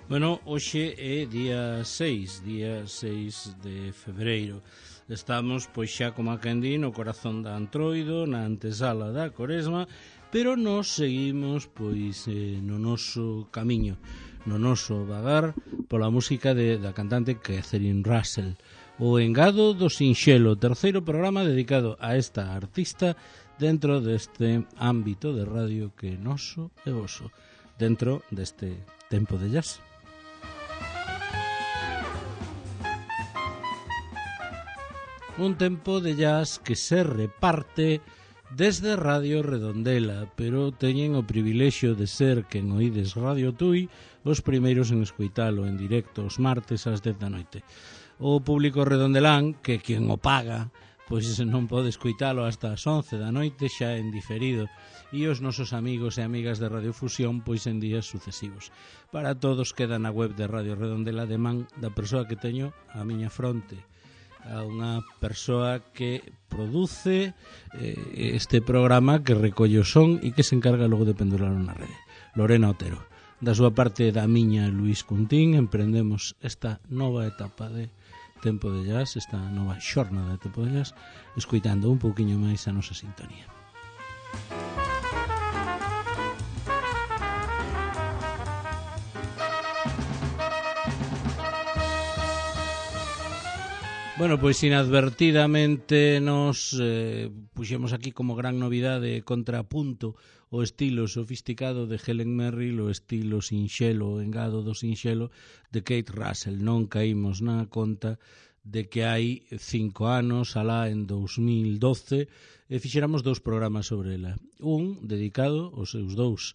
Bueno, hoxe é día 6 de febreiro. Estamos, pois xa como a quen di, no corazón da Antroido, na antesala da Coresma, pero nos seguimos, pois, no noso camiño, no noso vagar, pola música da cantante Catherine Russell. O Engado do Sinxelo, terceiro programa dedicado a esta artista dentro deste ámbito de radio que é noso e voso, dentro deste tempo de jazz. Un tempo de jazz que se reparte desde Radio Redondela, pero teñen o privilexio de ser quen oídes Radio Tui os primeiros en escoitalo en directo os martes ás 10 da noite. O público redondelán, que quen o paga, pois non pode escoitalo hasta as 11 da noite xa en diferido, e os nosos amigos e amigas de Radiofusión pois en días sucesivos. Para todos queda na web de Radio Redondela de man da persoa que teño á miña fronte, a unha persoa que produce este programa, que recolle o son e que se encarga logo de penduralo na rede. Lorena Otero. Da súa parte, da miña, Luís Cuntín, emprendemos esta nova etapa de Tempo de Jazz, esta nova xornada de Tempo de Jazz, escoitando un pouquiño máis a nosa sintonía. Bueno, pois inadvertidamente nos puxemos aquí como gran novidade contrapunto o estilo sofisticado de Helen Merrill, o estilo sinxelo, o engado do sinxelo de Kate Russell. Non caímos na conta de que hai 5 anos, alá en 2012, fixéramos 2 programas sobre ela. Un dedicado aos seus 2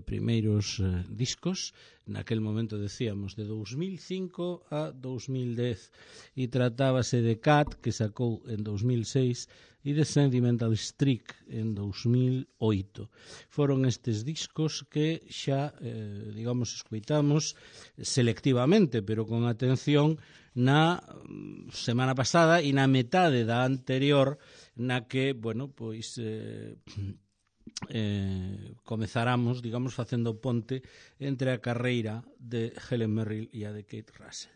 primeiros discos, naquel momento decíamos de 2005 a 2010, e tratábase de Cat, que sacou en 2006, e de Sentimental Streak en 2008. Foron estes discos que xa, digamos, escoitamos selectivamente, pero con atención, na semana pasada e na metade da anterior, na que, bueno, pois comezáramos, digamos, facendo ponte entre a carreira de Helen Merrill e a de Kate Russell.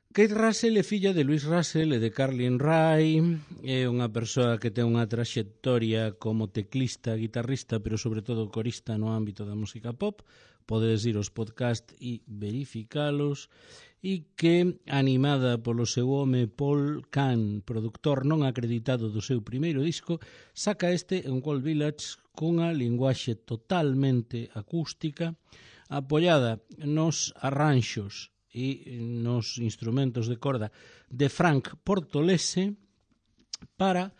Kate Russell é filla de Louis Russell e de Carlin Ray, é unha persoa que ten unha traxectoria como teclista, guitarrista, pero sobre todo corista no ámbito da música pop. Podedes ir aos podcast e verificalos, e que, animada polo seu home Paul Kahn, produtor non acreditado do seu primeiro disco, saca este en Cold Village cunha linguaxe totalmente acústica, apoiada nos arranxos e nos instrumentos de corda de Frank Portolese, para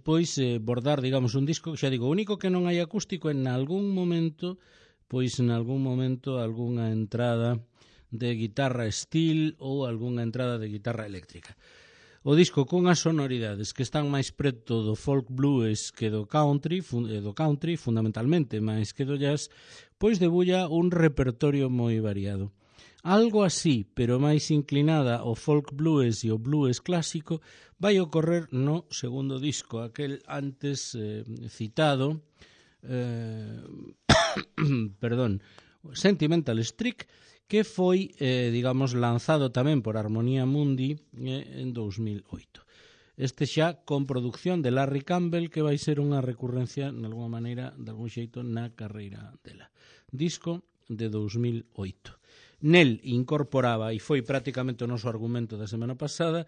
pois bordar, digamos, un disco, xa digo, único que non hai acústico, en algún momento algunha entrada de guitarra steel ou algunha entrada de guitarra eléctrica. O disco cunhas sonoridades que están máis preto do folk blues que do country, fundamentalmente máis que do jazz, pois debulla un repertorio moi variado. Algo así, pero máis inclinada ao folk blues e ao blues clásico, vai ocorrer no segundo disco, aquel antes citado, Sentimental Streak, que foi, digamos, lanzado tamén por Harmonia Mundi en 2008. Este xa con producción de Larry Campbell, que vai ser unha recurrencia, de alguma maneira, de algún xeito, na carreira dela. Disco de 2008. Nel incorporaba, e foi prácticamente o noso argumento da semana pasada,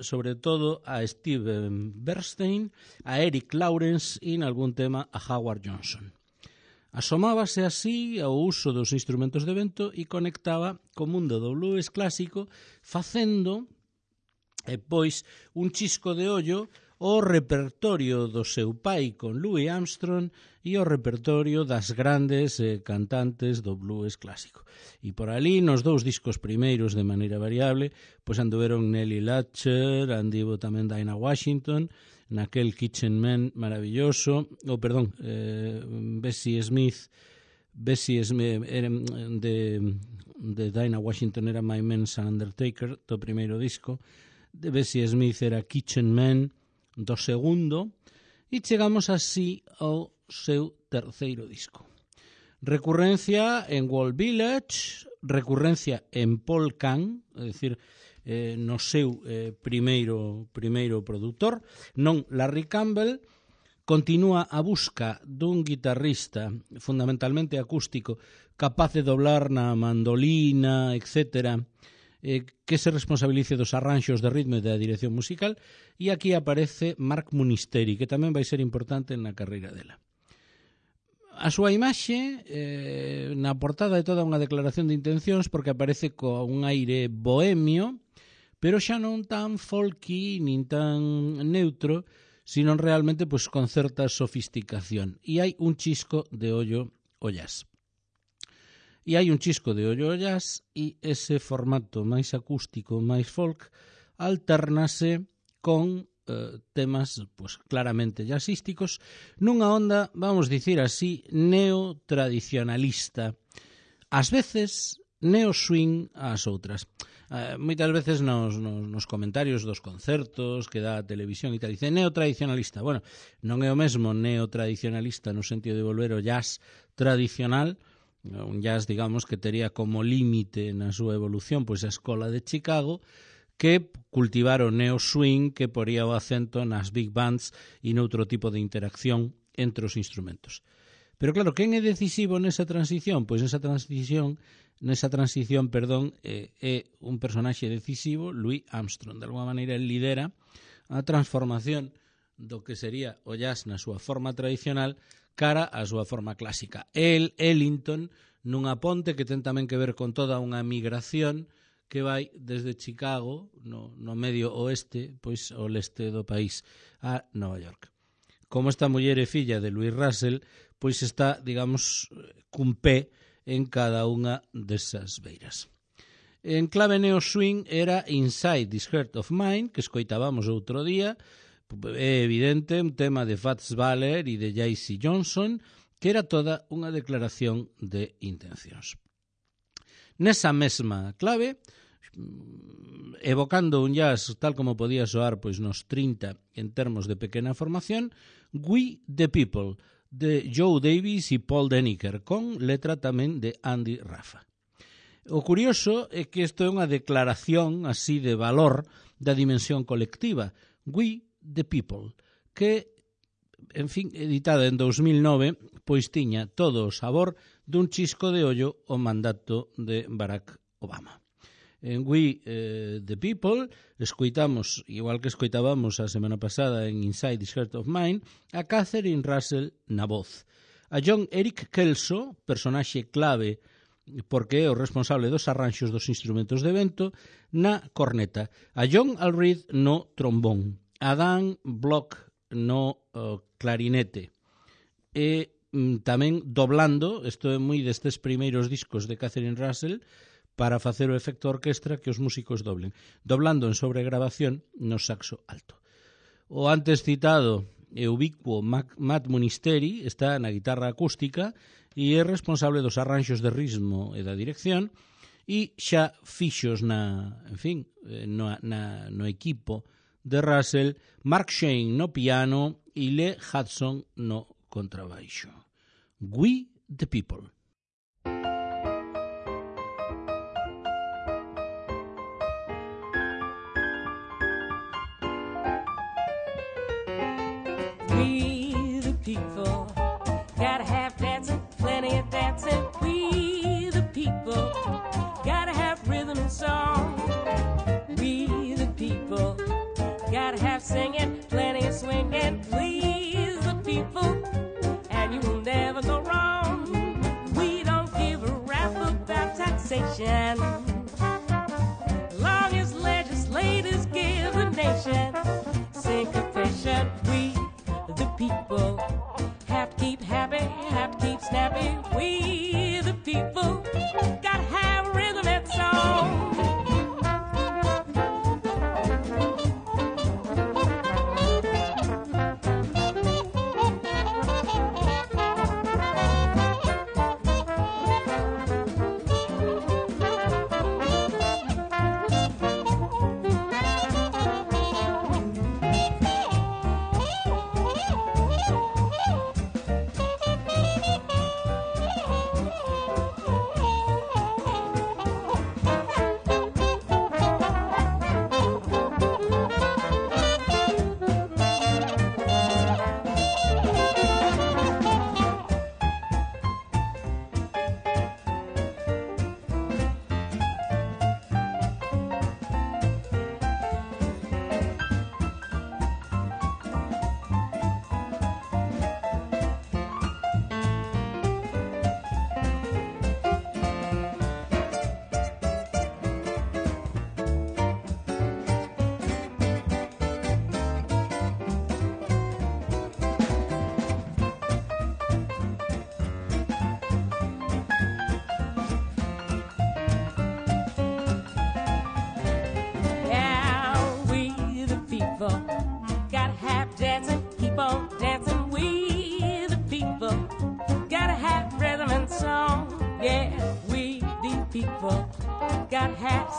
sobre todo a Steve Bernstein, a Eric Lawrence e, en algún tema, a Howard Johnson. Asomábase así ao uso dos instrumentos de vento e conectaba co mundo do blues clásico, facendo, pois, un chisco de ollo o repertorio do seu pai con Louis Armstrong e o repertorio das grandes cantantes do blues clásico. E por ali, nos 2 discos primeiros de maneira variable, pois anduveron Nellie Latcher, andivo tamén Dinah Washington, naquel Kitchen Man maravilloso, Bessie Smith de Dinah Washington era My Man's Undertaker, do primeiro disco, de Bessie Smith era Kitchen Man, do segundo, e chegamos así ao seu terceiro disco. Recurrencia en Wall Village, recurrencia en Paul Kang, é dicir, no seu primeiro produtor, non Larry Campbell. Continúa a busca dun guitarrista fundamentalmente acústico capaz de doblar na mandolina, etc., que se responsabilice dos arranxos de ritmo e da dirección musical, e aquí aparece Mark Munisteri, que tamén vai ser importante na carreira dela. A súa imaxe na portada é toda unha declaración de intencións porque aparece con un aire bohemio, pero xa non tan folky nin tan neutro, sino realmente pues, con certa sofisticación. E hai un chisco de ollo ao jazz. E ese formato máis acústico, máis folk, alternase con temas pues, claramente jazzísticos nunha onda, vamos dicir así, neotradicionalista. Ás veces neo-swing ás outras. Moitas veces nos comentarios dos concertos que dá a televisión e tal, dice neotradicionalista. Bueno, non é o mesmo neotradicionalista no sentido de volver ao jazz tradicional, un jazz, digamos, que tería como límite na súa evolución pois a escola de Chicago, que cultivar o neo-swing que poría o acento nas big bands e noutro tipo de interacción entre os instrumentos. Pero claro, quen é decisivo nesa transición? Pois nesa transición, é un personaxe decisivo, Louis Armstrong. De alguma maneira, el lidera a transformación do que sería o jazz na súa forma tradicional cara á súa forma clásica. Ellington, nunha ponte que ten tamén que ver con toda unha migración que vai desde Chicago, no medio oeste, pois ao leste do país, a Nova York. Como esta muller é filla de Louis Russell, pois está, digamos, cun pé en cada unha desas beiras. En clave neo-swing era Inside This Heart of Mine, que escoitábamos outro día. É evidente, un tema de Fats Waller e de J.C. Johnson, que era toda unha declaración de intencións. Nesa mesma clave, evocando un jazz tal como podía soar pois nos 30 en termos de pequena formación, We the People, de Joe Davis e Paul Deniker, con letra tamén de Andy Raffa. O curioso é que isto é unha declaración así de valor da dimensión colectiva, We the People, que, en fin, editada en 2009, pois tiña todo o sabor dun chisco de ollo ao mandato de Barack Obama. En We the People escoitamos, igual que escoitábamos a semana pasada en Inside This Heart of Mine, a Catherine Russell na voz, a John Eric Kelso, personaxe clave porque é o responsable dos arranxos dos instrumentos de vento, na corneta, a John Allred no trombón, a Dan Block no clarinete, e tamén doblando, isto é moi destes primeiros discos de Catherine Russell, para facer o efecto orquestra que os músicos doblen, doblando en sobregrabación no saxo alto. O antes citado e ubicuo Matt Munisteri está na guitarra acústica e é responsable dos arranxos de ritmo e da dirección, e xa fixos no equipo de Russell, Mark Shane no piano e Lee Hudson no contrabaixo. We the People. We the people gotta have dancing, plenty of dancing. We the people gotta have rhythm and song. We the people gotta have singing, plenty of swinging. Please the people, and you will never go wrong. We don't give a rap about taxation, long as legislators give the nation syncopation. We the people have to keep happy, have to keep snappy. We the people gotta have rhythm and song.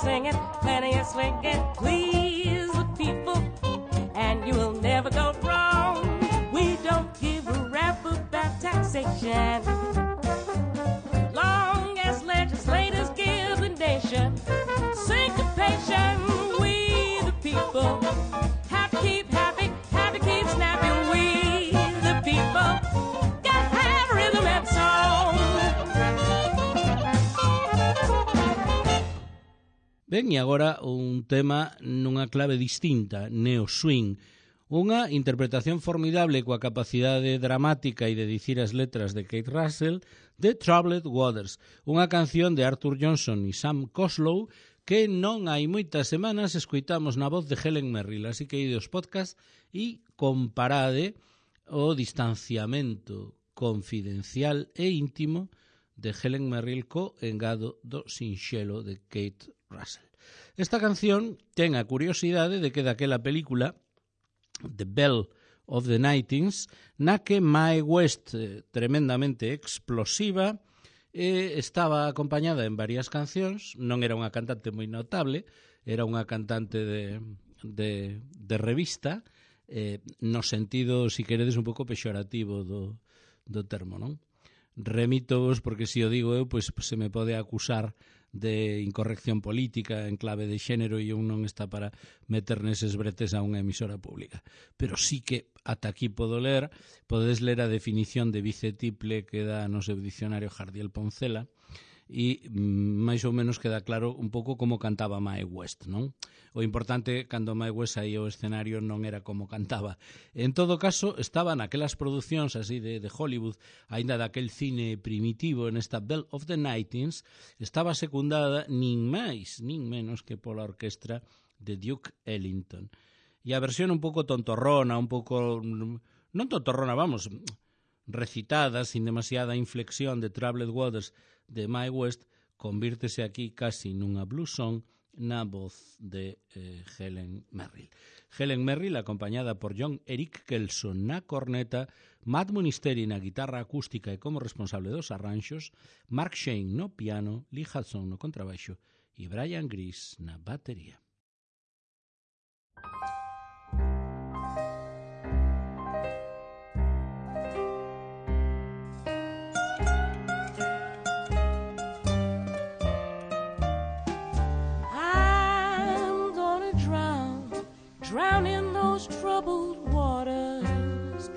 singing, plenty of swinging. Please the people, and you will never go wrong. We don't give a rap about taxation. Long as legislators give the nation syncopation, we the people have to keep happy, have to keep snappy. We the people gotta have rhythm and song. Ben, e agora un tema nunha clave distinta, neo-swing. Unha interpretación formidable coa capacidade dramática e de dicir as letras de Kate Russell de Troubled Waters, unha canción de Arthur Johnson e Sam Coslow que non hai moitas semanas escoitamos na voz de Helen Merrill, así que ide aos podcast e comparade o distanciamento confidencial e íntimo de Helen Merrill co engado do sinxelo de Kate Russell. Esta canción ten a curiosidade de que daquela película The Belle of the Nightings, na que Mae West, tremendamente explosiva, estaba acompañada en varias cancións. Non era unha cantante moi notable, era unha cantante de revista, no sentido, si queredes, un pouco pexorativo do termo, non? Remítovos, porque se o digo eu, pois se me pode acusar de incorrección política en clave de xénero e un non está para meter neses bretes a unha emisora pública. Pero sí que ata aquí podedes ler a definición de bicetiple que dá no seu dicionario Jardiel Poncela e máis ou menos queda claro un pouco como cantaba Mae West, non? O importante cando Mae West saía ao escenario non era como cantaba. En todo caso, estaban aquelas producións así de Hollywood, aínda daquel cine primitivo, en esta Belle of the Nightings, estaba secundada nin máis, nin menos que pola orquestra de Duke Ellington. E a versión un pouco tontorrona, un pouco... non tontorrona, vamos, recitada, sin demasiada inflexión de Troubled Waters de Mae West, convírtese aquí casi nunha blues song na voz de Helen Merrill. Helen Merrill acompañada por John Eric Kelson na corneta, Matt Munisteri na guitarra acústica e como responsable dos arranxos, Mark Shane no piano, Lee Hudson no contrabaixo e Brian Gris na batería. Drown in those troubled waters,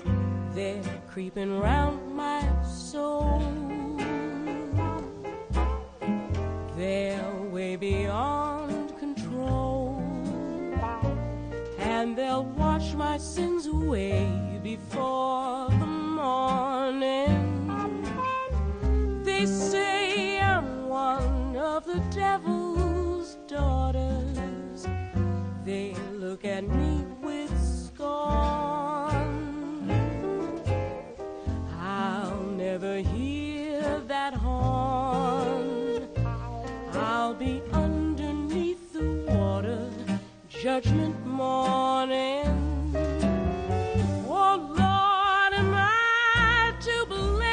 they're creeping round my soul. They're way beyond control, and they'll wash my sins away before the morning. They say I'm one of the devil's daughters. They look at me with scorn. I'll never hear that horn. I'll be underneath the water, judgment morning. Oh Lord, am I to blame?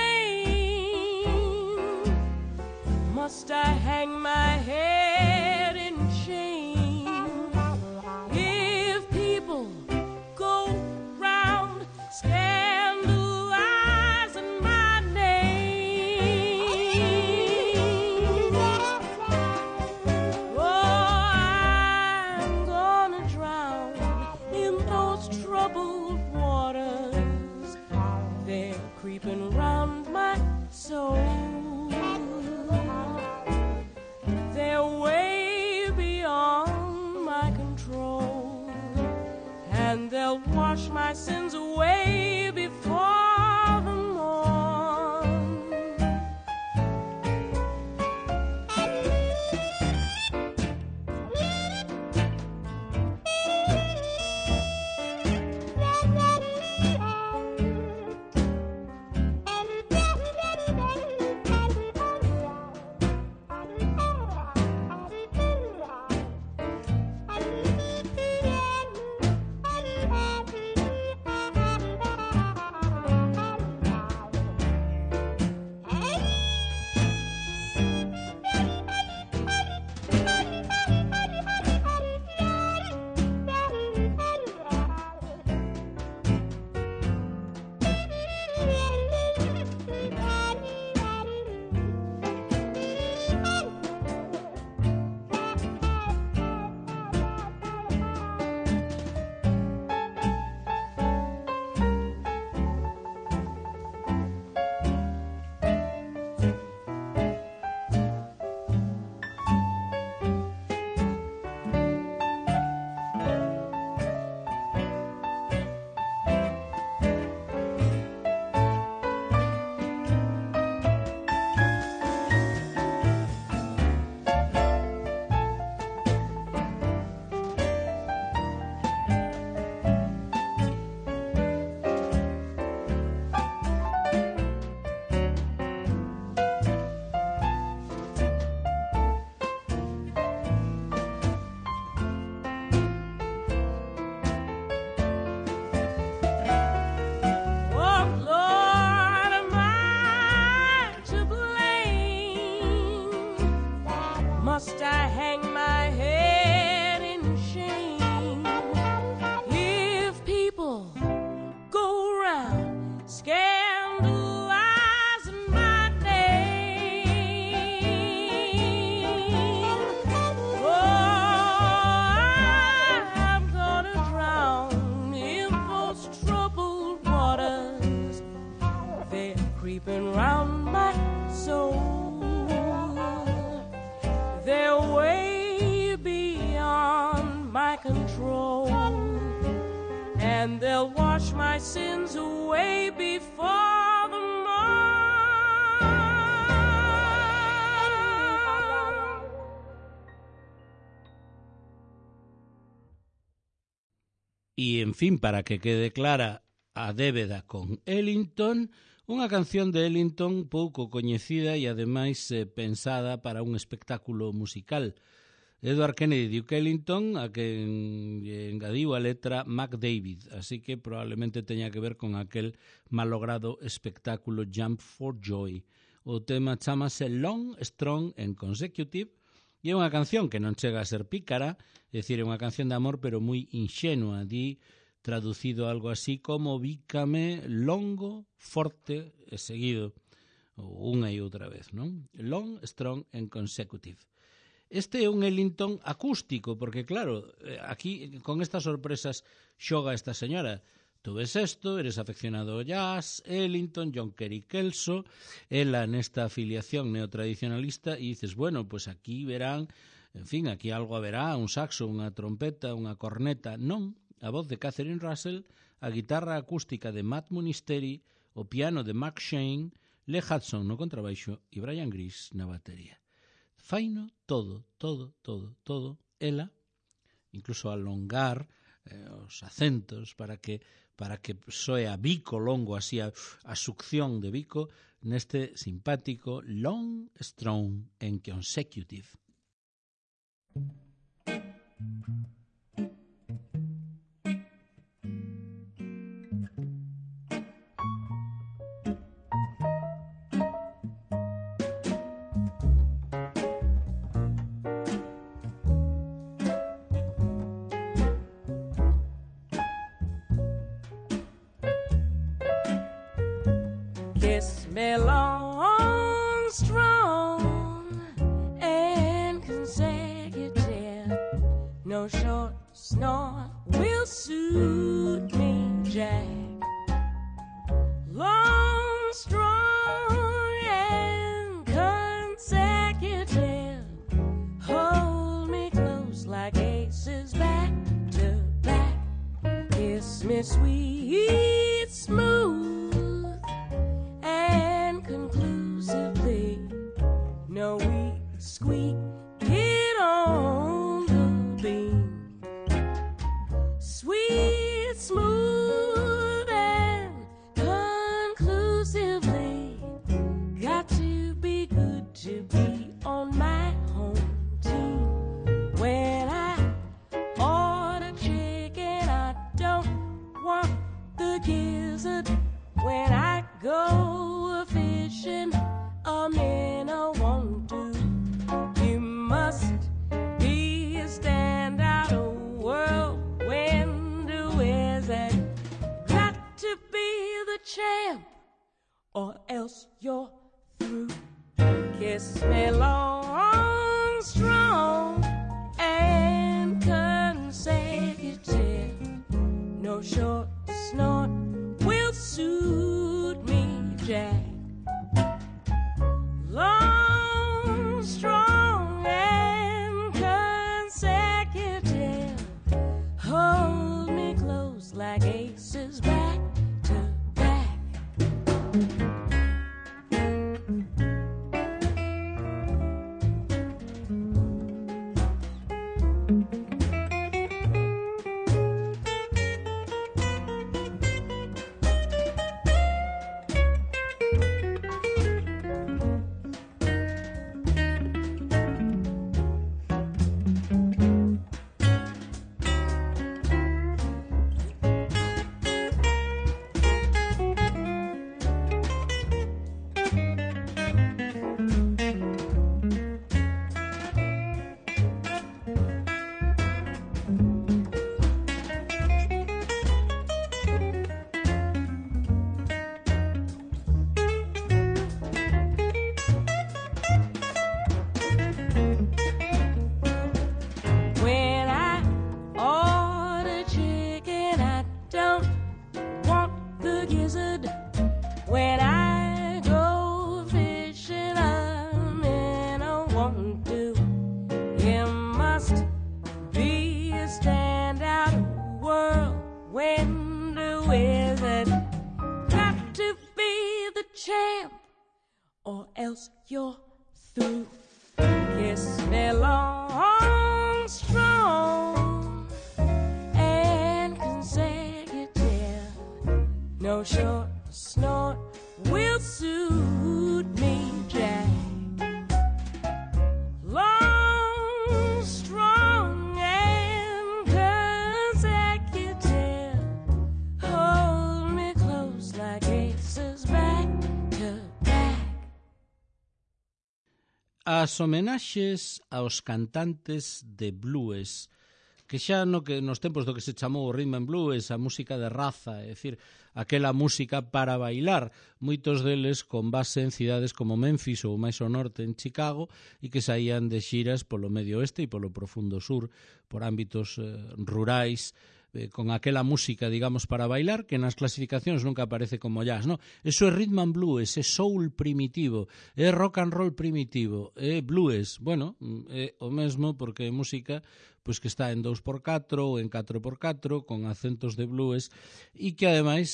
Must I hang my head in shame? Creeping round my soul. They're way beyond my control, and they'll wash my sins away before the morn. wrapping round my soul. They're way beyond my control, and they'll wash my sins away before the morn. E, en fin, para que quede clara a débeda con Ellington, unha canción de Ellington pouco coñecida e, ademais, pensada para un espectáculo musical. Edward Kennedy Duke Ellington, a que engadiu a letra Mac David, así que probablemente teña que ver con aquel malogrado espectáculo Jump for Joy. O tema chamase Long, Strong and Consecutive, e é unha canción que non chega a ser pícara, é dicir, é unha canción de amor pero moi inxenua, di traducido algo así como bícame longo, forte e seguido, unha e outra vez, non? Long, strong and consecutive. Este é un Ellington acústico, porque claro, aquí con estas sorpresas xoga esta señora. Tú ves esto, eres afeccionado ao jazz, Ellington, John Kerry Kelso, ela nesta afiliación neotradicionalista, e dices, bueno, pues aquí verán, en fin, aquí algo haberá, un saxo, unha trompeta, unha corneta. Non, a voz de Catherine Russell, a guitarra acústica de Matt Munisteri, o piano de Mark Shane, Lee Hudson no contrabaixo e Brian Gris na batería. Faino todo, ela, incluso alongar os acentos para que soe a bico longo, así a succión de bico, neste simpático Long, Strong and Consecutive. Kiss me long, strong, and consecutive. No short snort will suit me, Jack. Long, strong, and consecutive. Hold me close like aces back to back. Kiss me sweet, smooth, conclusively. No weak squeak, get on the beam. Sweet, smooth, and conclusively. Got to be good to be on my home team. When I order chicken, I don't want the gizzard. When I go fishing, a minnow won't do. You must be a standout, a whirlwind wizard. Got to be the champ, or else you're through. Kiss me long, strong, and consecutive. No short snort will suit me, Jack. Long, strong, and consecutive. Hold me close like aces back to back. champ, or else you're through. Kiss me long, strong, and consecutive. No short snort will suit me, Jack. Long, strong, and consecutive. Hold me close like aces back to back. As homenaxes aos cantantes de blues, que xa nos tempos do que se chamou o rhythm and blues, a música de raza, é dicir, aquela música para bailar, moitos deles con base en cidades como Memphis ou máis ao norte en Chicago, e que saían de xiras polo medio oeste e polo profundo sur, por ámbitos rurais, con aquela música, digamos, para bailar, que nas clasificacións nunca aparece como jazz, no? Eso é rhythm and blues, é soul primitivo, é rock and roll primitivo, é blues, bueno, é o mesmo porque é música pois que está en 2x4 ou en 4x4 con acentos de blues e que ademais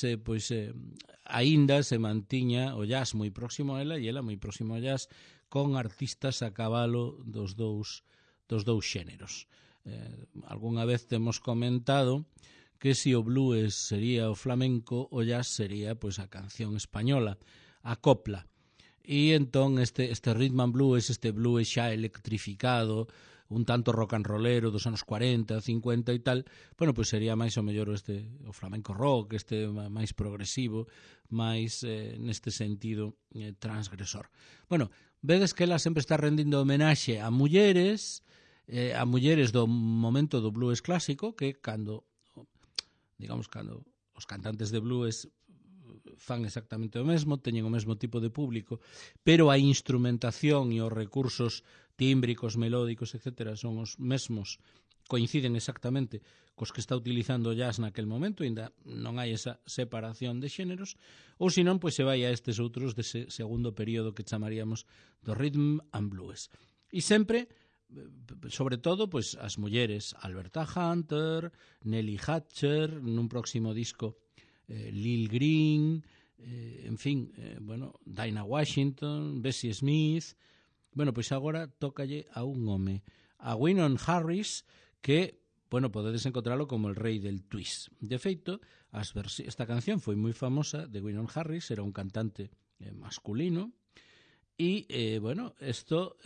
aínda se mantiña o jazz moi próximo a ela e ela moi próximo ao jazz con artistas a cabalo dos dous xéneros. Algunha vez temos comentado que se o blues sería o flamenco, o jazz sería pois a canción española, a copla. E entón este rhythm and blues, este blues xa electrificado, un tanto rock and rollero dos anos 40, 50 e tal, bueno, pois sería máis o mellor o flamenco rock, este máis progresivo, máis neste sentido transgresor. Bueno, vedes que ela sempre está rendindo homenaxe a mulleres do momento do blues clásico, que cando os cantantes de blues fan exactamente o mesmo, teñen o mesmo tipo de público, pero a instrumentación e os recursos tímbricos, melódicos, etc., son os mesmos, coinciden exactamente cos que está utilizando o jazz naquel momento, ainda non hai esa separación de xéneros, ou senón, pois se vai a estes outros dese segundo período que chamaríamos do rhythm and blues. E sempre, sobre todo, pois as mulleres, Alberta Hunter, Nellie Hatcher, nun próximo disco Lil Green, en fin, Dinah Washington, Bessie Smith. Bueno, pois agora tócalle a un home, a Wynon Harris, que, podedes encontralo como el rei del twist. De feito, esta canción foi moi famosa de Wynon Harris, era un cantante masculino, e, isto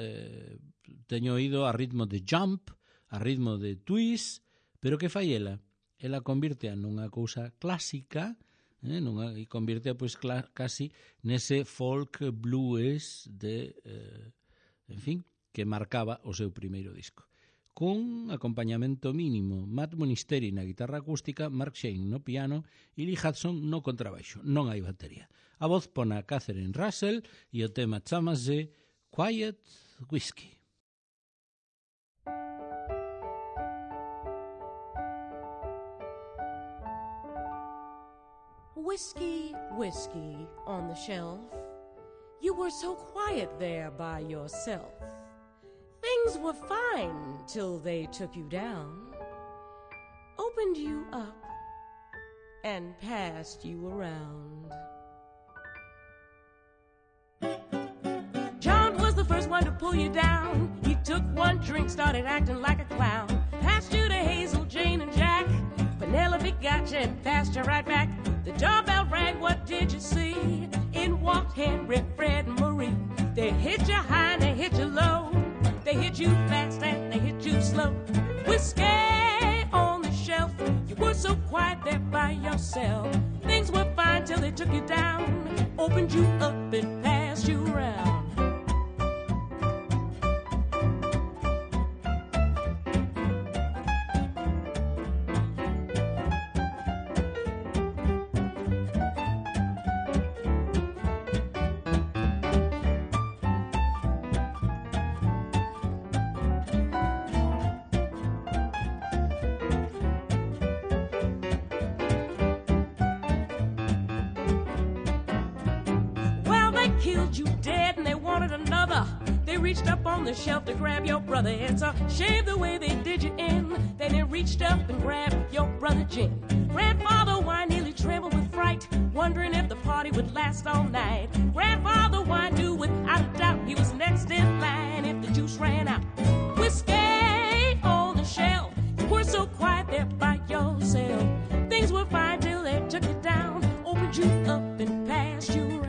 teño oído a ritmo de jump, a ritmo de twist, pero que fai ela? Ela convirtea nunha cousa clásica, e convirtea pois casi nese folk blues de, en fin, que marcaba o seu primeiro disco. Cun acompañamento mínimo, Matt Monisteri na guitarra acústica, Mark Shane no piano e Lee Hudson no contrabaixo. Non hai batería. A voz pon a Catherine Russell e o tema chamase Quiet Whiskey. Whiskey, whiskey on the shelf. You were so quiet there by yourself. Things were fine till they took you down, opened you up, and passed you around. John was the first one to pull you down. He took one drink, started acting like a clown. Passed you to Hazel, Jane, and Jack. Penelope got you and passed you right back. The doorbell rang, what did you see? In walked Henry, Fred, and Marie. They hit you high and they hit you low. They hit you fast and they hit you slow. Whiskey on the shelf. You were so quiet there by yourself. Things were fine till they took you down, opened you up and passed you around. Killed you dead and they wanted another. They reached up on the shelf to grab your brother. It's a shame the way they did you in. Then they reached up and grabbed your brother Jim. Grandfather, why nearly trembled with fright. fright, wondering if the party would last all night. Grandfather wine knew without a doubt he was next in line if the juice ran out. Whiskey on the shelf, you were so quiet there by yourself. Things were fine till they took you down, opened you up and passed you around.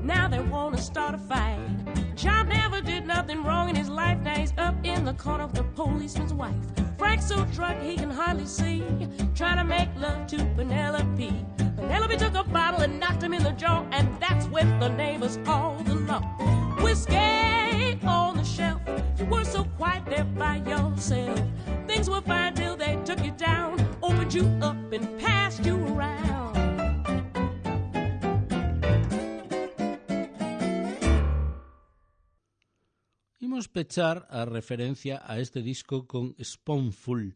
Now they wanna start a fight. John never did nothing wrong in his life. Now he's up in the corner of the policeman's wife. Frank's so drunk he can hardly see, trying to make love to Penelope. Penelope took a bottle and knocked him in the jaw, and that's when the neighbors called the law. Whiskey on the shelf, you were so quiet there by yourself. Things were fine till they took you down, opened you up and passed you around. Imos pechar a referencia a este disco con Spoonful,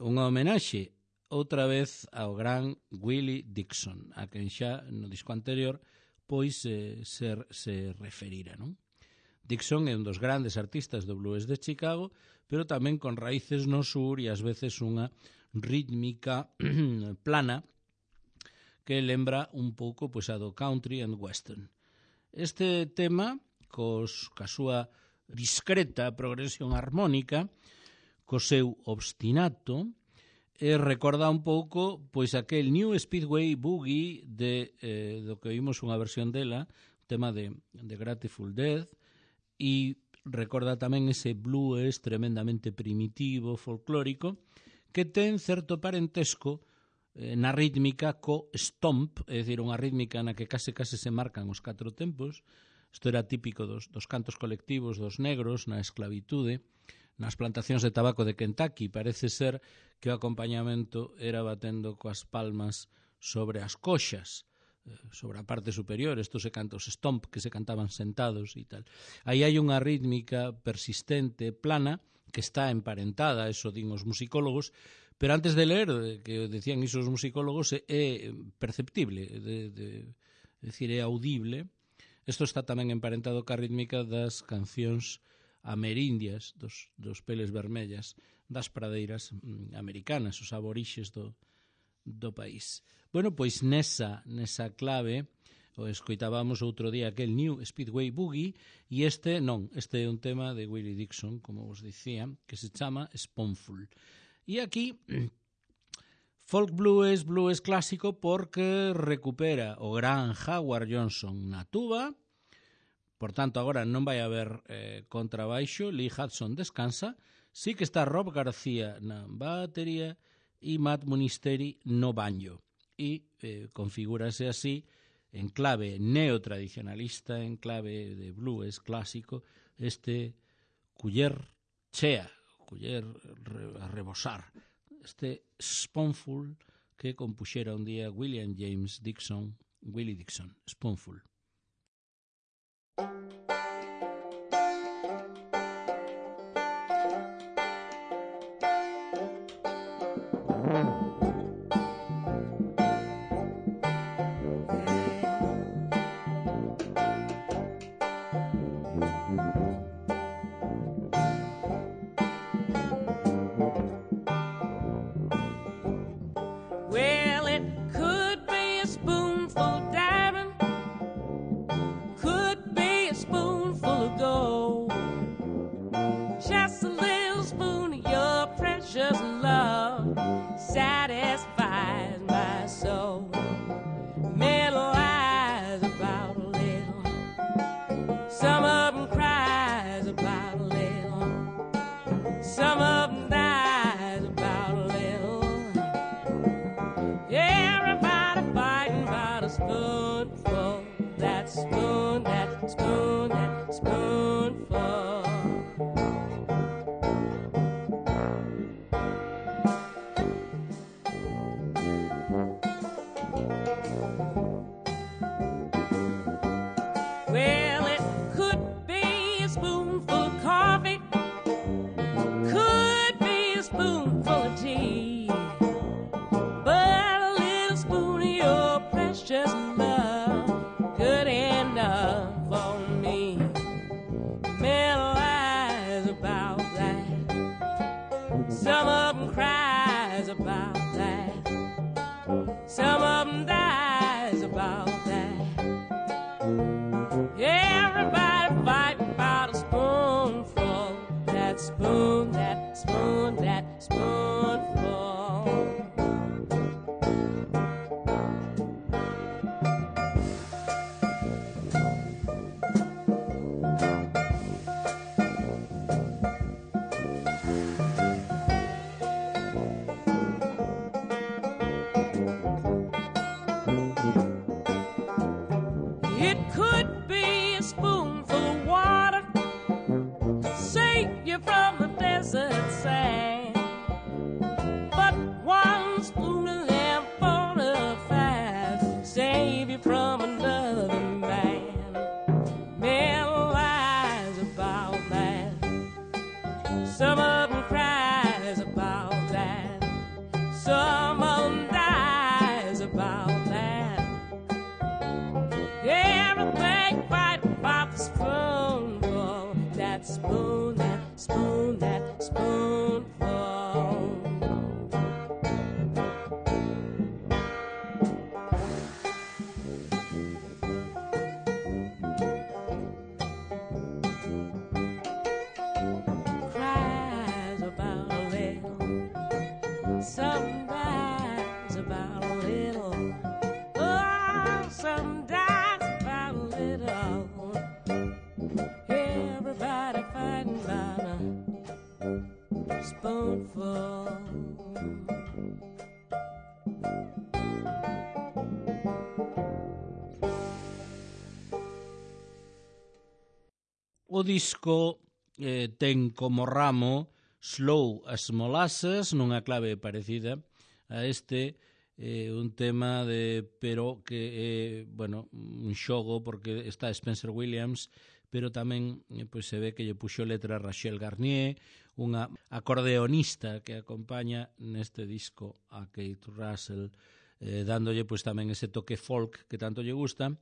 unha homenaxe outra vez ao gran Willie Dixon, a quen xa no disco anterior pois se referira, non? Dixon é un dos grandes artistas do blues de Chicago, pero tamén con raíces no sur e ás veces unha rítmica plana que lembra un pouco pois a do country and western. Este tema, ca súa discreta progresión armónica, co seu obstinato, recorda un pouco pois aquel New Speedway Boogie do que oímos unha versión dela, o tema de Grateful Dead, e recorda tamén ese blues tremendamente primitivo, folclórico, que ten certo parentesco na rítmica co stomp, é dicir, unha rítmica na que case se marcan os 4 tempos. Isto era típico dos cantos colectivos dos negros na esclavitude, nas plantacións de tabaco de Kentucky. Parece ser que o acompañamento era batendo coas palmas sobre as coxas, sobre a parte superior. Estos se canta os stomp, que se cantaban sentados e tal. Aí hai unha rítmica persistente, plana, que está emparentada, eso din os musicólogos, pero antes de ler, que decían iso os musicólogos, é perceptible, é dicir, é audible. Isto está tamén emparentado ca rítmica das cancións amerindias, dos peles vermellas, das pradeiras americanas, os aborixes do país. Bueno, pois nesa clave o escoitábamos outro día aquel New Speedway Boogie, e este é un tema de Willie Dixon, como vos dicía, que se chama Spoonful. E aquí folk blues clásico, porque recupera o gran Howard Johnson na tuba. Por tanto, agora non vai haber contrabaixo, Lee Hudson descansa, sí que está Rob García na batería e Matt Munisteri no banjo. E configúrase así, en clave neotradicionalista, en clave de blues clásico, este culler chea, culler a rebosar, este Spoonful que compuxera un día Willie Dixon, Spoonful. Well, it could be a spoonful of diamond, could be a spoonful of gold, just a little spoon of your precious love satisfies my soul. Little eyes about a little, some of them cries about a little, some of them dies about a little. Everybody fighting about a spoonful, that spoon, that spoon, that spoonful. love on me. Many lies about that. Some of them cries about that. Some of them dies about that. Everybody fighting about a spoonful. That spoon, that spoon, that spoonful. It could be a spoonful of water, save you from the desert sand. But one spoon of them fast, save you from another man. Men lies about that. Some of them cries about that. Some of them dies about that. Everything fighting about the spoonful. That spoon, that spoon, that spoonful. Cries about a little. Some dies about a little. Oh, some dies about a little. Everybody fighting about a spoonful. O disco ten como ramo Slow as Molasses, nunha clave parecida a este, un tema de pero que é, bueno, un xogo porque está Spencer Williams, pero tamén pois se ve que lle puxo letra Rachel Garnier, unha acordeonista que acompaña neste disco a Kate Russell, dándolle pois tamén ese toque folk que tanto lle gusta.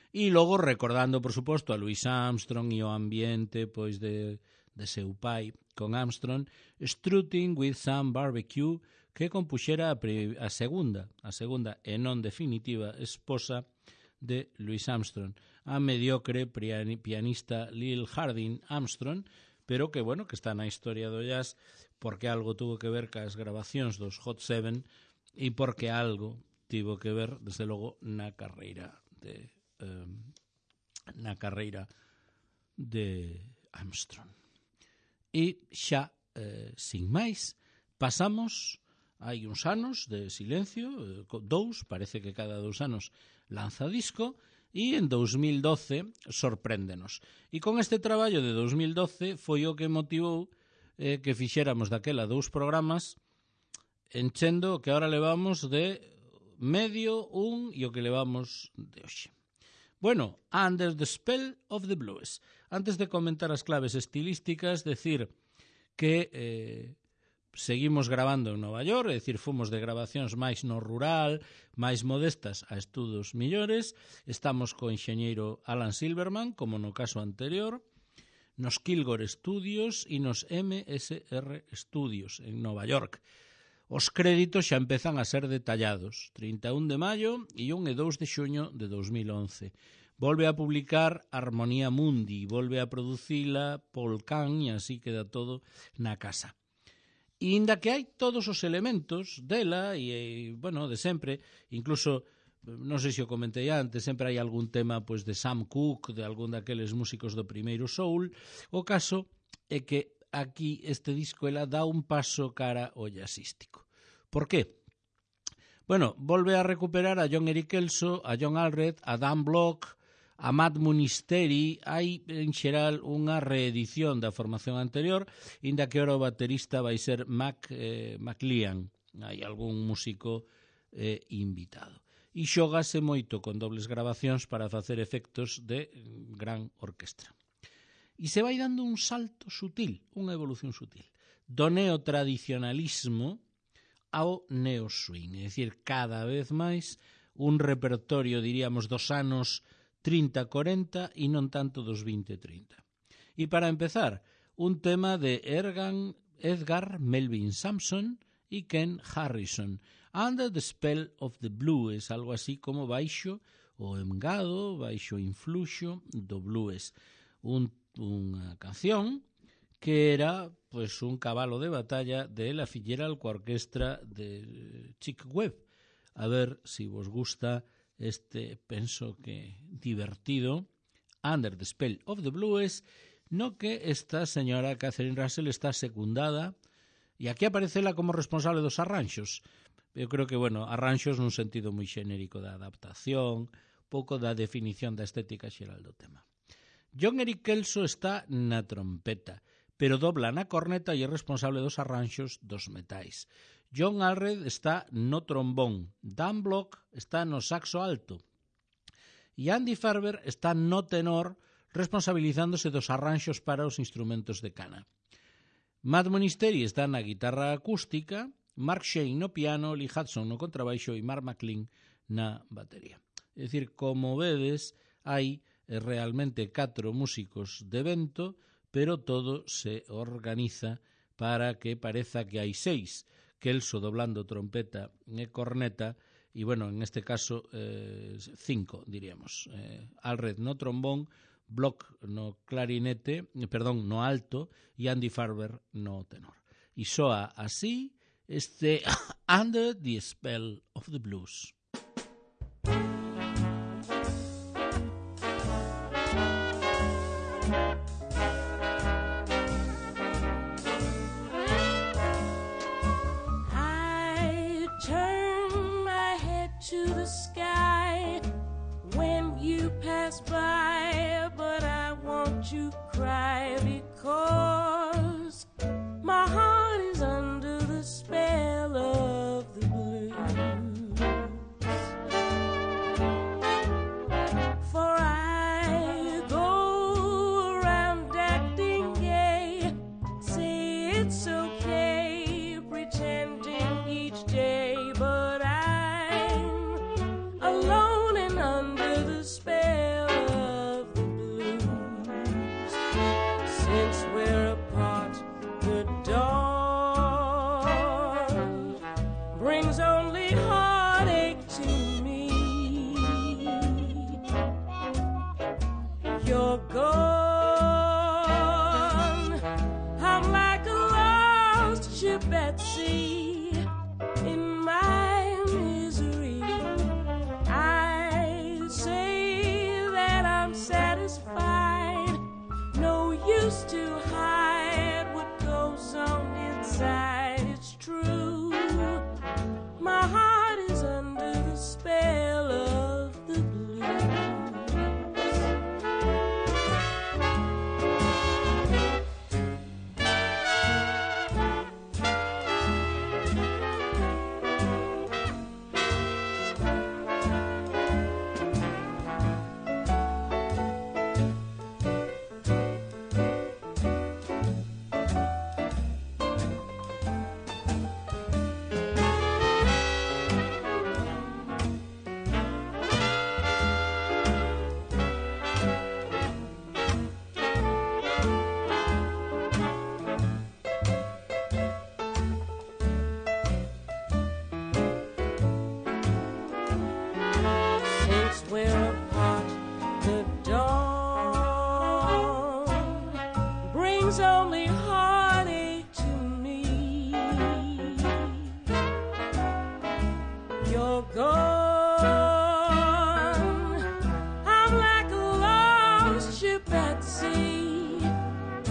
E logo recordando, por suposto, a Louis Armstrong e o ambiente pois de seu pai con Armstrong, Strutting with Some Barbecue, que compuxera a segunda e non definitiva esposa de Louis Armstrong, a mediocre pianista Lil Harding Armstrong, pero que, bueno, que está na historia do jazz porque algo tuvo que ver cas grabacións dos Hot Seven e porque algo tivo que ver, desde logo, na carreira de Armstrong. E xa, sin máis, pasamos hai uns anos de silencio, parece que cada 2 anos lanza disco, e en 2012 sorpréndenos. E con este traballo de 2012 foi o que motivou que fixéramos daquela 2 programas enchendo o que ahora levamos de medio, e o que levamos de hoxe. Bueno, Under the Spell of the Blues. Antes de comentar as claves estilísticas, decir que seguimos grabando en Nova York, é dicir, fomos de grabacións máis no rural, máis modestas a estudos millores. Estamos co enxeñeiro Alan Silverman, como no caso anterior, nos Kilgore Studios e nos MSR Studios en Nova York. Os créditos xa empezan a ser detallados, 31 de maio e 1 e 2 de xuño de 2011. Volve a publicar Harmonia Mundi, volve a producila Paul Kahn e así queda todo na casa. E inda que hai todos os elementos dela e, bueno, de sempre, incluso, non sei se o comentei antes, sempre hai algún tema pois de Sam Cooke, de algún daqueles músicos do primeiro soul, o caso é que aquí este disco ela dá un paso cara ao jazzístico. Por qué? Bueno, volve a recuperar a John Eric Elso, a John Allred, a Dan Block, a Matt Munisteri. Hai en xeral unha reedición da formación anterior, inda que ora o baterista vai ser McLean. Hai algún músico invitado. E xógase moito con dobles grabacións para facer efectos de gran orquestra. E se vai dando un salto sutil, unha evolución sutil, do neotradicionalismo ao neo-swing, é dicir, cada vez máis un repertorio, diríamos, dos anos 30-40 e non tanto dos 20-30. E para empezar, un tema de Edgar Melvin Sampson e Ken Harrison, Under the Spell of the Blues, algo así como baixo o engado, baixo o influxo do blues. Unha canción que era pois un cabalo de batalla de Ella Fitzgerald coa orquestra de Chick Webb. A ver se vos gusta este, penso que divertido, Under the Spell of the Blues, no que esta señora Catherine Russell está secundada e aquí aparece ela como responsable dos arranxos. Eu creo que, bueno, arranxos nun sentido moi xenérico da adaptación, pouco da definición da estética xeral do tema. John Eric Kelso está na trompeta, pero dobla na corneta e é responsable dos arranxos dos metais. John Allred está no trombón, Dan Block está no saxo alto e Andy Farber está no tenor, responsabilizándose dos arranxos para os instrumentos de cana. Matt Monisteri está na guitarra acústica, Mark Shane no piano, Lee Hudson no contrabaixo e Mark McLean na batería. É dicir, como vedes, hai realmente 4 músicos de vento, pero todo se organiza para que pareza que hai 6. Kelso doblando trompeta e corneta, e, bueno, en este caso 5, diríamos. Allred no trombón, Block no clarinete, no alto, e Andy Farber no tenor. E soa así este Under the Spell of the Blues. By, but I want you cry because my heart is under the spell of the blues. For I go around acting gay, say it's okay, pretending each day, but I'm alone and under the spell. Since we're apart, the dawn brings only heartache to me. You're gone, I'm like a lost ship at sea. In my misery, I say that I'm satisfied. No use to hide what goes on inside. It's true, my heart is under the spell of the blues. Only heartache to me. You're gone, I'm like a lost ship at sea.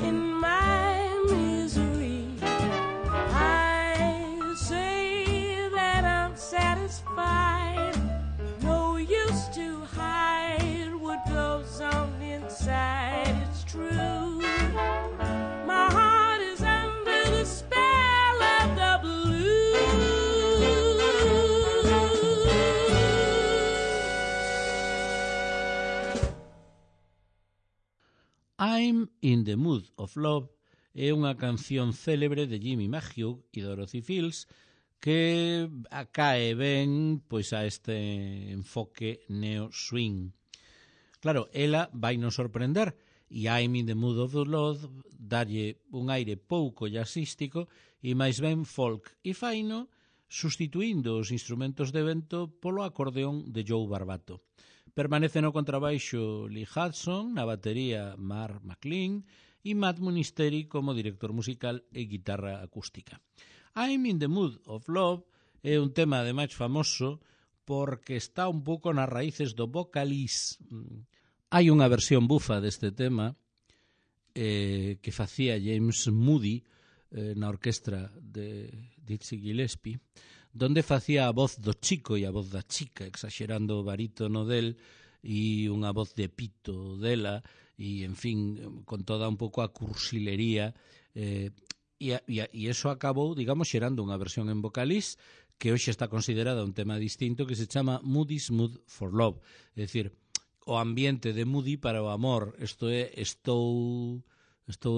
In my misery, I say that I'm satisfied. No use to hide what goes on inside. It's true, my heart is under the spell of the blues. I'm in the Mood of Love é unha canción célebre de Jimmy McHugh e Dorothy Fields que cae ben pois a este enfoque neo-swing. Claro, ela vai nos sorprender e I'm in the mood of love dalle un aire pouco jazzístico e máis ben folk e faino sustituindo os instrumentos de vento polo acordeón de Joe Barbato. Permanece no contrabaixo Lee Hudson, na batería Mark McLean e Matt Munisteri como director musical e guitarra acústica. I'm in the mood of love é un tema ademais famoso porque está un pouco nas raíces do vocalís. Hai unha versión bufa deste tema que facía James Moody na orquestra de Dizzy Gillespie, donde facía a voz do chico e a voz da chica, exagerando o barítono del e unha voz de pito dela, e, en fin, con toda un pouco a cursilería, e eso acabou, digamos, xerando unha versión en vocalís que hoxe está considerada un tema distinto que se chama Moody's Mood for Love, é dicir, o ambiente de Moody para o amor. Isto é, estou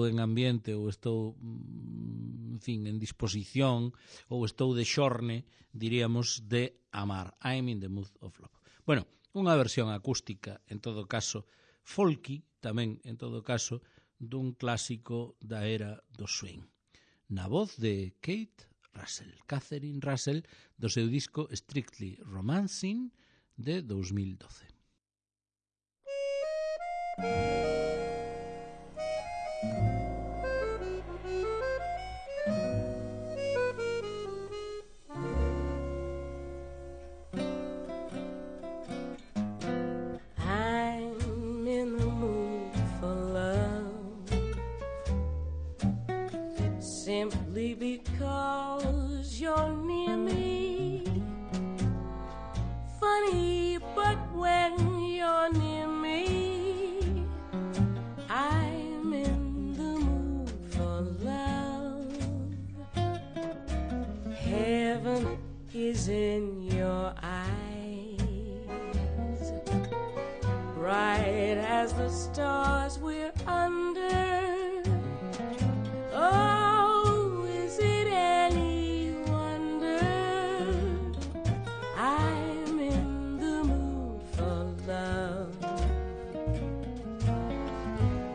en ambiente ou estou, en fin, en disposición ou estou de xorne, diríamos, de amar. I'm in the mood of love. Bueno, unha versión acústica, en todo caso, folky, tamén, en todo caso, dun clásico da era do swing. Na voz de Catherine Russell, do seu disco Strictly Romancing de 2012. I'm in the mood for love, simply because you're near me. Funny, but when you're near me, I'm in the mood for love. Heaven is in your eyes, bright as the stars we're under. Oh, is it any wonder I'm in the mood for love?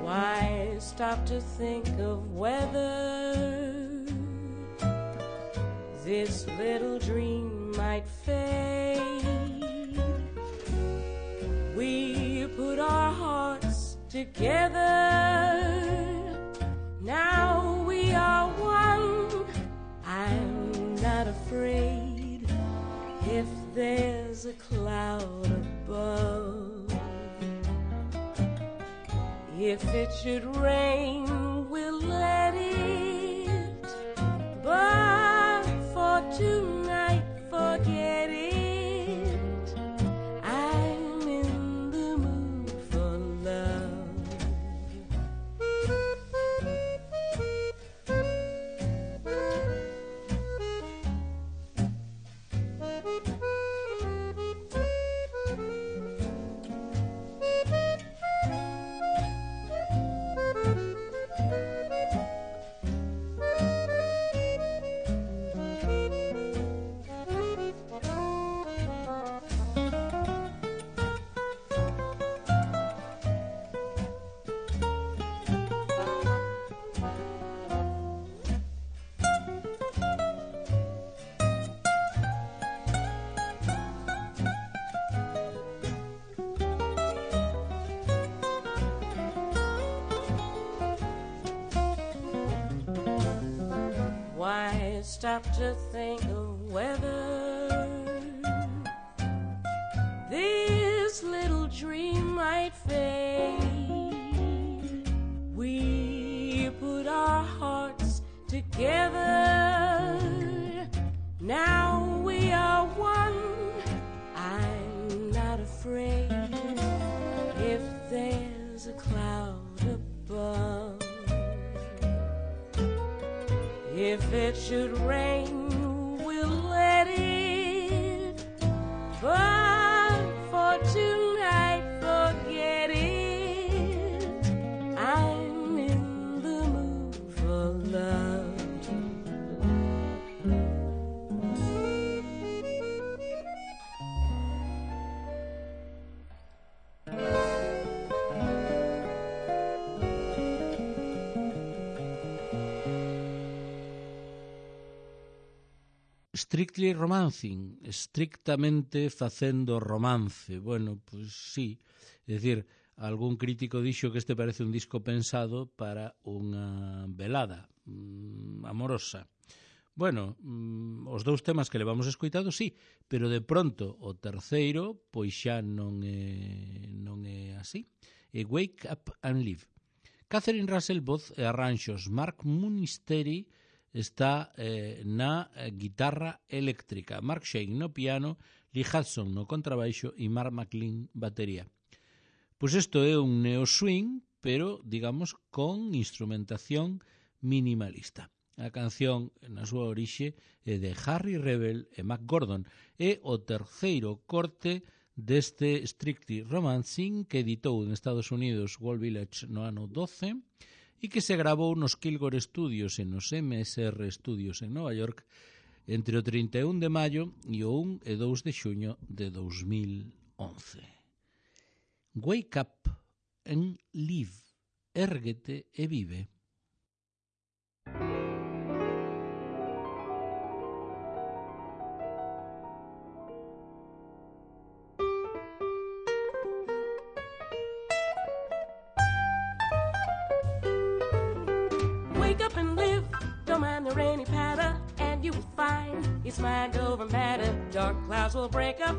Why stop to think of whether this little dream might fade? We put our hearts together, now we are one. I'm not afraid if there's a cloud above. If it should rain, we'll let it, but for tonight, forget it. I'm in the mood for love. Why stop to think of whether this little dream might fade? We put our hearts together, now we are one. I'm not afraid if there's a cloud above. If it should rain, we'll let it, but for tonight, forget it. I'm in the mood for love. Strictly romancing, estrictamente facendo romance. Bueno, pois sí, é dicir, algún crítico dixo que este parece un disco pensado para unha velada amorosa. Bueno, os dous temas que levamos escoitado, sí, pero de pronto o terceiro, pois xa non é así. É Wake Up and Live. Catherine Russell, voz e arranxos. Mark Munisteri está na guitarra eléctrica. Mark Shane no piano, Lee Hudson no contrabaixo e Mark McLean batería. Pois isto é un neo-swing, pero, digamos, con instrumentación minimalista. A canción, na súa orixe, é de Harry Rebel e Mac Gordon. É o terceiro corte deste Strictly Romancing que editou en Estados Unidos Wall Village no ano 12 e que se gravou nos Kilgore Studios e nos MSR Studios en Nova York entre o 31 de maio e o 1 e 2 de xuño de 2011. Wake up and live. Érguete e vive. Wake up and live, don't mind the rainy patter, and you will find it's mind over matter. Dark clouds will break up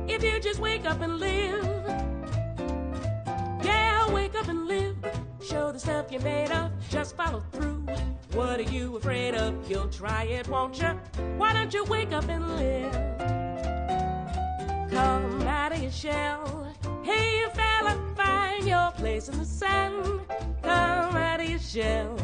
if you just wake up and live. Yeah, wake up and live, show the stuff you're made of, just follow through. What are you afraid of? You'll try it, won't you? Why don't you wake up and live? Come out of your shell, hey fella, find your place in the sun. Come out of your shell,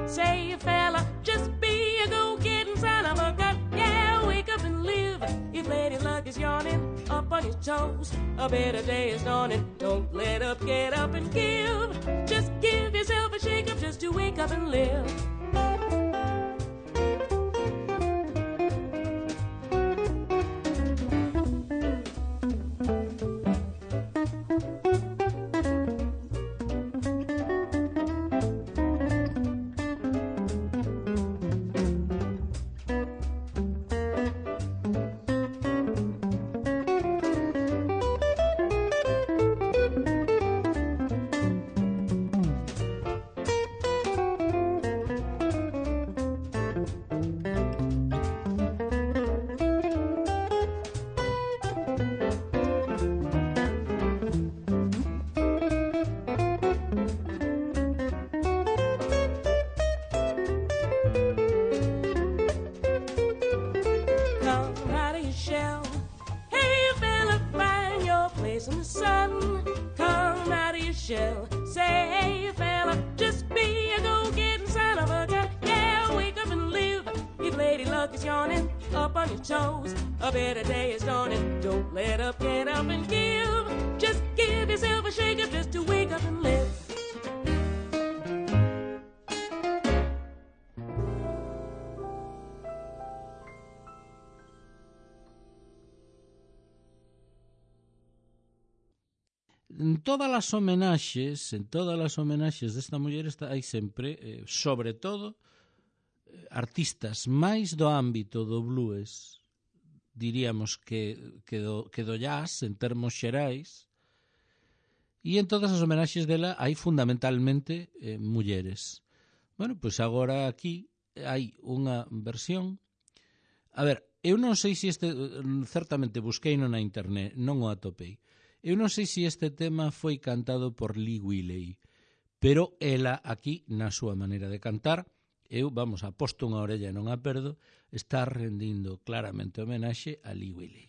say fella, just be a go-getting son of a gun. Yeah, wake up and live. If lady luck is yawning, up on your toes, a better day is dawning. Don't let up, get up and give. Just give yourself a shake up just to wake up and live. En todas as homenaxes desta muller hai sempre, sobre todo, artistas máis do ámbito do blues, diríamos que do jazz en termos xerais, e en todas as homenaxes dela hai fundamentalmente mulleres. Bueno, pois agora aquí hai unha versión. A ver, eu non sei se certamente busqueino na internet, non o atopei. Eu non sei se este tema foi cantado por Lee Willey, pero ela aquí, na súa maneira de cantar, aposto unha orella e non a perdo, está rendindo claramente homenaxe a Lee Willey.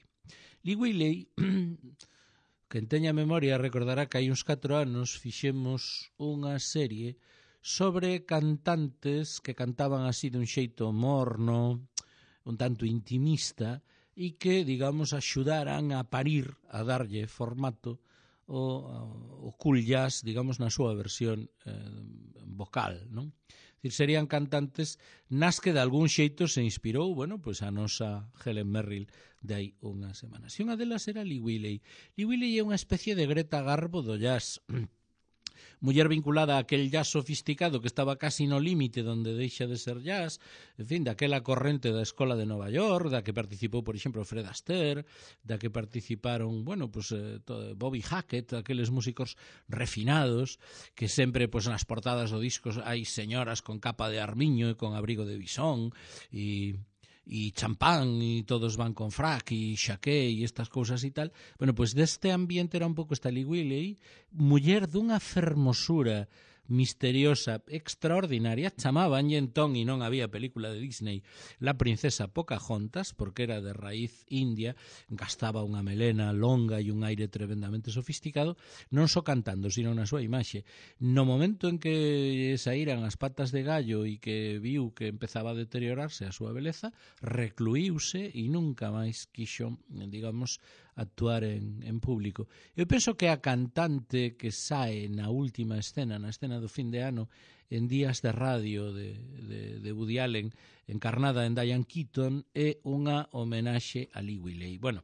Lee Willey, quen teña memoria, recordará que hai uns 4 anos fixemos unha serie sobre cantantes que cantaban así dun xeito morno, un tanto intimista, e que, digamos, axudaran a parir, a darlle formato o cool jazz, digamos, na súa versión vocal, non? Dicir, serían cantantes nas que de algún xeito se inspirou, bueno, pois a nosa Helen Merrill de hai unhas semanas. E unha delas era Lee Willey. Lee Willey é unha especie de Greta Garbo do jazz. muller vinculada a aquel jazz sofisticado que estaba casi no límite donde deixa de ser jazz, en fin, daquela corrente da Escola de Nova York, da que participou, por exemplo, Fred Astaire, da que participaron, bueno, pues Bobby Hackett, aqueles músicos refinados, que sempre, pues nas portadas do disco hai señoras con capa de armiño e con abrigo de bisón, e champán, e todos van con frac e xaqué e estas cousas e tal. Bueno, pois deste ambiente era un pouco esta Lee Wiley, muller dunha fermosura misteriosa, extraordinaria. Chamabanlle entón, e non había película de Disney, La princesa Pocahontas, porque era de raíz india, gastaba unha melena longa e un aire tremendamente sofisticado, non só cantando, sino na súa imaxe. No momento en que saíran as patas de gallo e que viu que empezaba a deteriorarse a súa beleza, recluíuse e nunca máis quixo, digamos, actuar en público. Eu penso que a cantante que sae na última escena, na escena do fin de ano, en Días de Radio de Woody Allen, encarnada en Diane Keaton, é unha homenaxe a Lee Wiley. Bueno,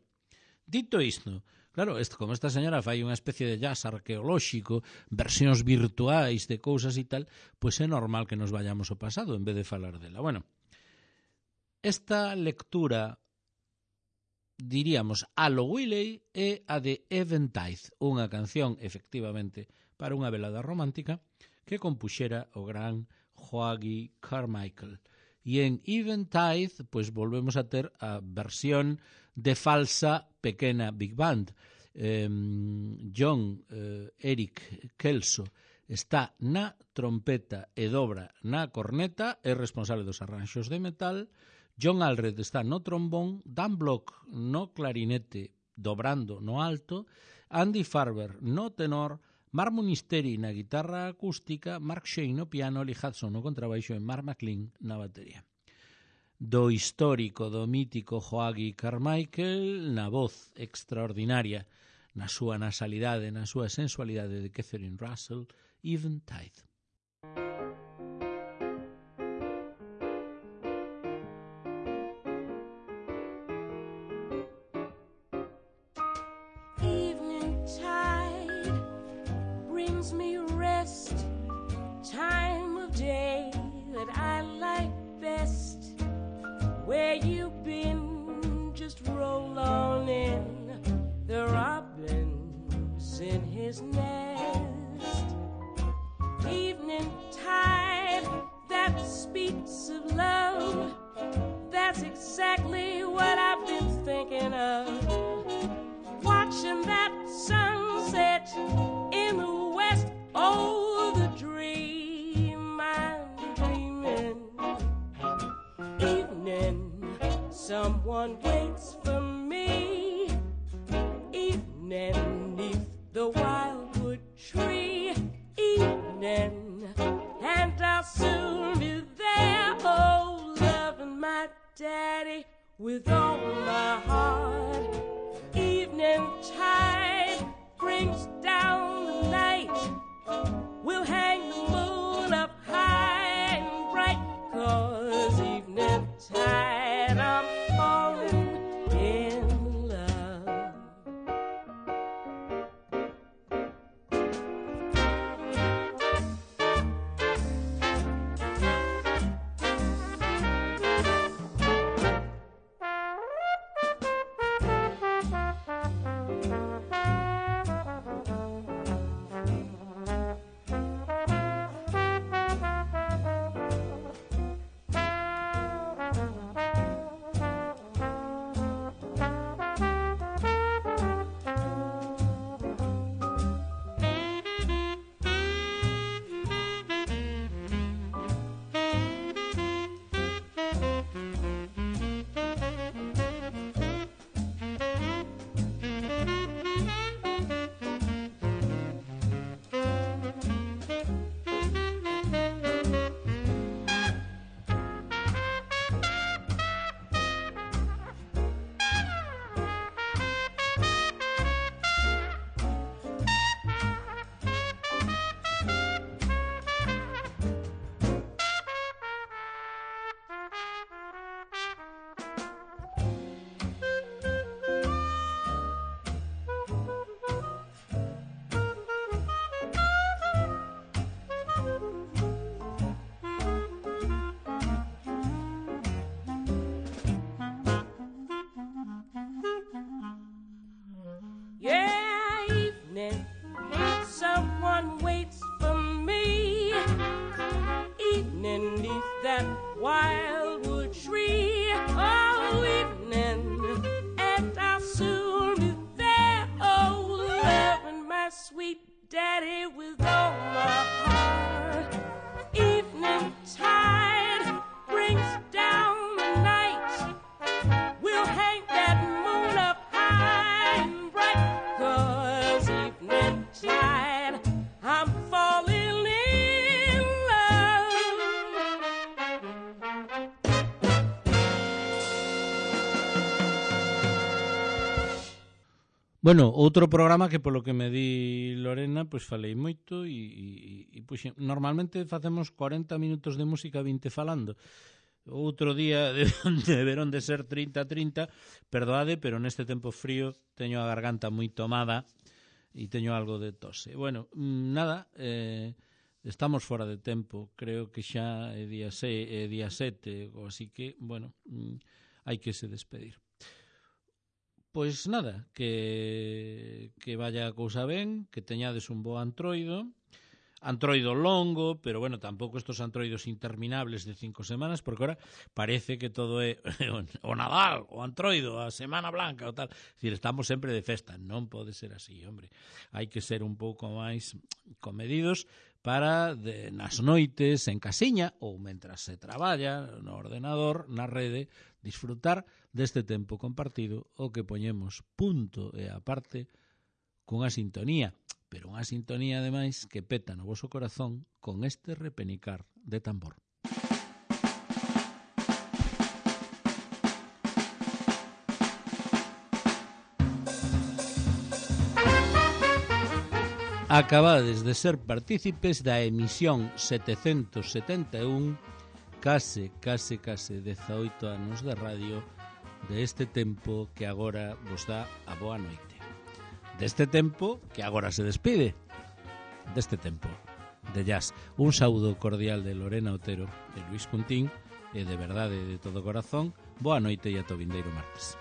dito isto, claro, como esta señora fai unha especie de jazz arqueolóxico, versións virtuais de cousas e tal, pois é normal que nos vayamos ao pasado en vez de falar dela. Bueno, esta lectura, diríamos, a lo Wiley é a de Eventide, unha canción, efectivamente, para unha velada romántica que compuxera o gran Hoagy Carmichael. E en Eventide, pois volvemos a ter a versión de falsa pequena Big Band. John Eric Kelso está na trompeta e dobra na corneta, é responsable dos arranxos de metal. John Allred está no trombón, Dan Block no clarinete dobrando no alto, Andy Farber no tenor, Mark Munisteri na guitarra acústica, Mark Shane no piano, Lee Hudson no contrabaixo e Mark McLean na batería. Do histórico, do mítico Hoagy Carmichael na voz extraordinaria, na súa nasalidade, na súa sensualidade de Catherine Russell, Eventide. Where you been? Just roll on in. The robin's in his nest. Evening tide that speaks of love. That's exactly what I've been thinking of. Watching that sunset in the west. Oh, the dream I'm dreaming. Evening, someone waits for me. Evening, neath the wildwood tree. Evening, and I'll soon be there. Oh, loving my daddy with all my heart. Evening tide brings down the night. We'll hang the moon up high and bright, 'cause evening tide I'm falling in love. Bueno, outro programa que polo que me di Lorena, pois falei moito e pois, normalmente facemos 40 minutos de música, 20 falando. Outro día deberon de ser 30-30, perdoade, pero neste tempo frío teño a garganta moi tomada e teño algo de tose. Bueno, nada, estamos fora de tempo, creo que xa é día 7, así que, bueno, hai que se despedir. Pois nada, que vaya a cousa ben, que teñades un bo antroido longo, pero bueno, tampouco estos antroidos interminables de 5 semanas, porque ahora parece que todo é o Nadal, o antroido, a Semana Blanca, o tal. Es decir, estamos sempre de festa, non pode ser así, hombre. Hai que ser un pouco máis comedidos para nas noites en casiña ou mentras se traballa no ordenador, na rede, disfrutar deste tempo compartido o que poñemos punto e aparte cunha sintonía, pero unha sintonía ademais que peta no voso corazón con este repenicar de tambor. Acabades de ser partícipes da emisión 771, case 18 anos de radio, de este tempo que agora vos dá a boa noite. Deste tempo que agora se despide. Deste tempo de jazz. Un saúdo cordial de Lorena Otero e Luis Cuntín, e de verdade de todo corazón, boa noite e ata o vindeiro martes.